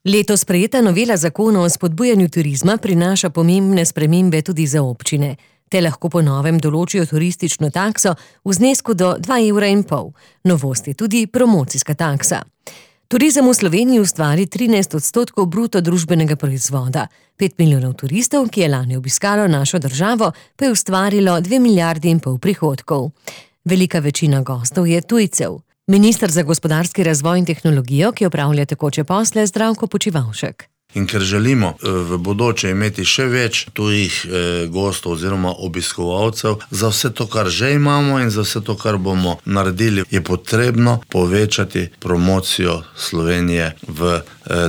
Letos sprejeta novela zakona o spodbujanju turizma prinaša pomembne spremembe tudi za občine. Te lahko po novem določijo turistično takso v znesku do 2,5 €. Novost je tudi promocijska taksa. Turizem v Sloveniji ustvari 13% bruto družbenega proizvoda. 5 milijonov turistov, ki je lani obiskalo našo državo, pa je ustvarilo 2,5 milijarde prihodkov. Velika večina gostov je tujcev. Minister za gospodarski razvoj in tehnologijo, ki opravlja tekoče posle, Zdravko Počivalšek. In ker želimo v bodoče imeti še več tujih gostov oziroma obiskovalcev, za vse to, kar že imamo in za vse to, kar bomo naredili, je potrebno povečati promocijo Slovenije v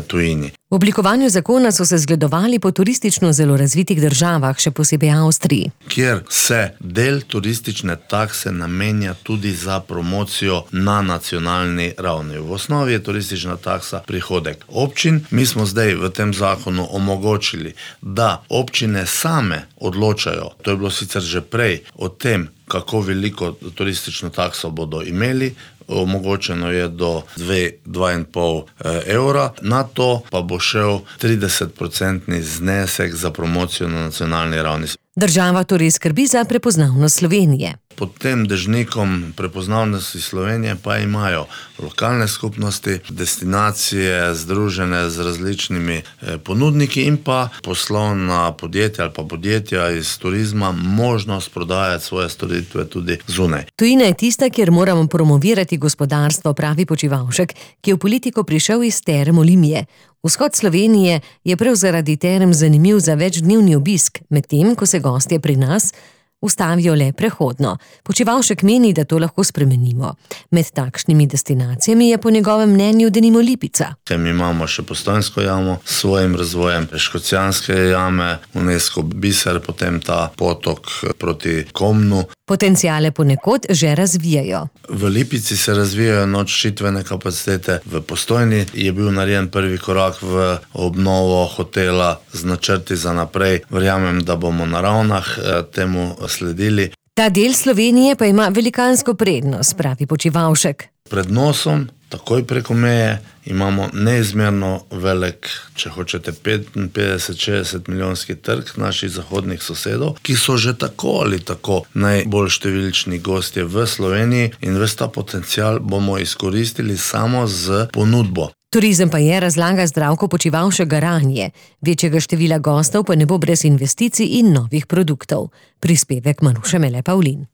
tujini. V oblikovanju zakona so se zgledovali po turistično zelo razvitih državah, še posebej Avstriji, kjer se del turistične takse namenja tudi za promocijo na nacionalni ravni. V osnovi je turistična taksa prihodek občin. Mi smo zdaj v tem zakonu omogočili, da občine same odločajo, to je bilo sicer že prej, o tem, kako veliko turistično takso bodo imeli. Omogočeno je do 2,5 €, na to pa bo šel 30% znesek za promocijo na nacionalni ravni. Država torej skrbi za prepoznavnost Slovenije. Pod tem dežnikom prepoznavnosti Slovenije pa imajo lokalne skupnosti, destinacije združene z različnimi ponudniki in pa poslovna podjetja ali pa podjetja iz turizma možnost prodajati svoje storitve tudi zunaj. Tujina je tista, kjer moramo promovirati gospodarstvo, pravi Počivalšek, ki je v politiko prišel iz Term Olimie. Vzhod Slovenije je prav zaradi term zanimiv za večdnevni obisk, medtem ko se gostje pri nas ustavijo le prehodno. Počivalšek meni, da to lahko spremenimo. Med takšnimi destinacijami je po njegovem mnenju denimo Lipica. Mi imamo še Postojnsko jamo s svojim razvojem, Škocjanske jame, UNESCO biser, potem ta potok proti Komnu. Potenciale ponekod že razvijajo. V Lipici se razvijajo nočitvene kapacitete, v Postojni je bil narejen prvi korak v obnovo hotela z načrti za naprej. Verjamem, da bomo na Ravnah temu sledili. Ta del Slovenije pa ima velikansko prednost, pravi Počivalšek. Pred nosom, takoj preko meje, imamo neizmerno velik, če hočete 55-60 milijonski trg naših zahodnih sosedov, ki so že tako ali tako najbolj številčni gostje v Sloveniji in ves ta potencial bomo izkoristili samo z ponudbo. Turizem pa je, razlaga Zdravko Počivalšek, garanje. Večjega števila gostov pa ne bo brez investicij in novih produktov. Prispevek Maruše Mele Pavlin.